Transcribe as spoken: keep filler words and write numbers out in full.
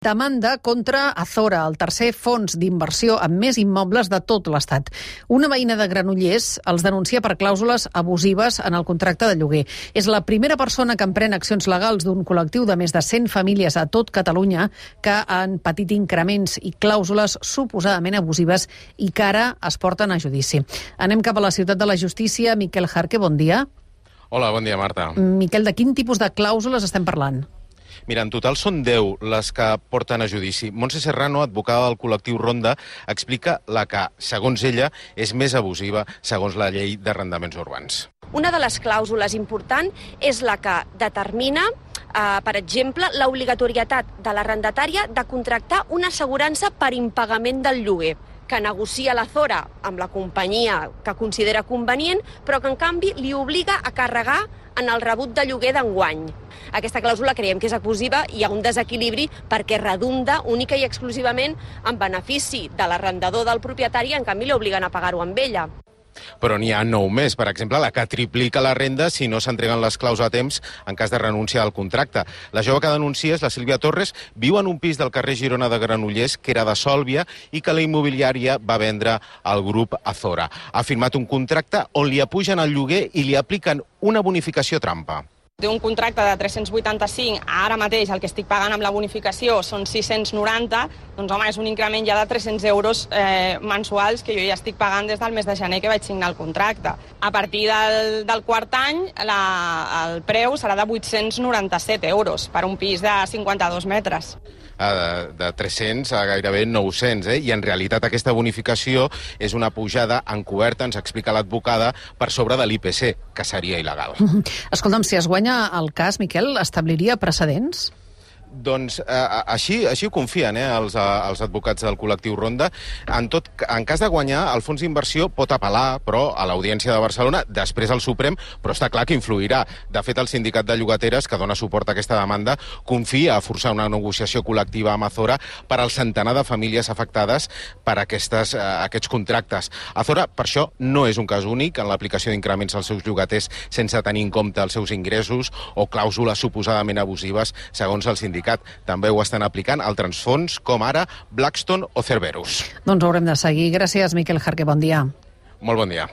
Demanda contra Azora, el tercer fons d'inversió amb més immobles de tot l'Estat. Una veïna de Granollers els denuncia per clàusules abusives en el contracte de lloguer. És la primera persona que emprèn accions legals d'un col·lectiu de més de cent famílies a tot Catalunya que han patit increments i clàusules suposadament abusives i que ara es porten a judici. Anem cap a la ciutat de la justícia. Miquel Jarque, bon dia. Hola, bon dia, Marta. Miquel, de quin tipus de clàusules estem parlant? Mira, en total són deu les que porten a judici. Montse Serrano, advocada del col·lectiu Ronda, explica la que, segons ella, és més abusiva segons la llei d'arrendaments urbans. Una de les clàusules important és la que determina, eh, per exemple, l'obligatorietat de l'arrendatària de contractar una assegurança per impagament del lloguer, que negocia l'Azora amb la companyia que considera convenient, però que en canvi li obliga a carregar en el rebut de lloguer d'enguany. Aquesta clàusula creiem que és abusiva i hi ha un desequilibri perquè redunda única i exclusivament en benefici de l'arrendador del propietari, en canvi li obliguen a pagar-ho amb ella. Però n'hi ha nou més. Per exemple, la que triplica la renda si no s'entreguen les claus a temps en cas de renúncia al contracte. La jove que denuncia és la Sílvia Torres, viu en un pis del carrer Girona de Granollers, que era de Sòlvia, i que la immobiliària va vendre al grup Azora. Ha firmat un contracte on li apugen el lloguer i li apliquen una bonificació trampa. D'un contracte de tres-cents vuitanta-cinc, ara mateix el que estic pagant amb la bonificació són sis-cents noranta, doncs home, és un increment ja de tres-cents euros eh, mensuals que jo ja estic pagant des del mes de gener que vaig signar el contracte. A partir del, del quart any, la, el preu serà de vuit-cents noranta-set euros per un pis de cinquanta-dos metres. De, de tres-cents a gairebé nou-cents, eh? I en realitat aquesta bonificació és una pujada encoberta, ens explica l'advocada, per sobre de l'I P C, que seria il·legal. Escolta'm, si es guanya el cas, Miquel, establiria precedents? Doncs eh, així, així ho confien eh, els, els advocats del col·lectiu Ronda. En, tot, en cas de guanyar, el fons d'inversió pot apel·lar, però a l'Audiència de Barcelona, després al Suprem, però està clar que influirà. De fet, el sindicat de llogateres, que dona suport a aquesta demanda, confia a forçar una negociació col·lectiva amb Azora per al centenar de famílies afectades per aquestes, eh, aquests contractes. Azora, per això, no és un cas únic en l'aplicació d'increments als seus llogaters sense tenir en compte els seus ingressos o clàusules suposadament abusives, segons el sindicat. També ho estan aplicant altres fons, com ara Blackstone o Cerberus. Doncs ho haurem de seguir. Gràcies, Miquel Jarque. Bon dia. Molt bon dia.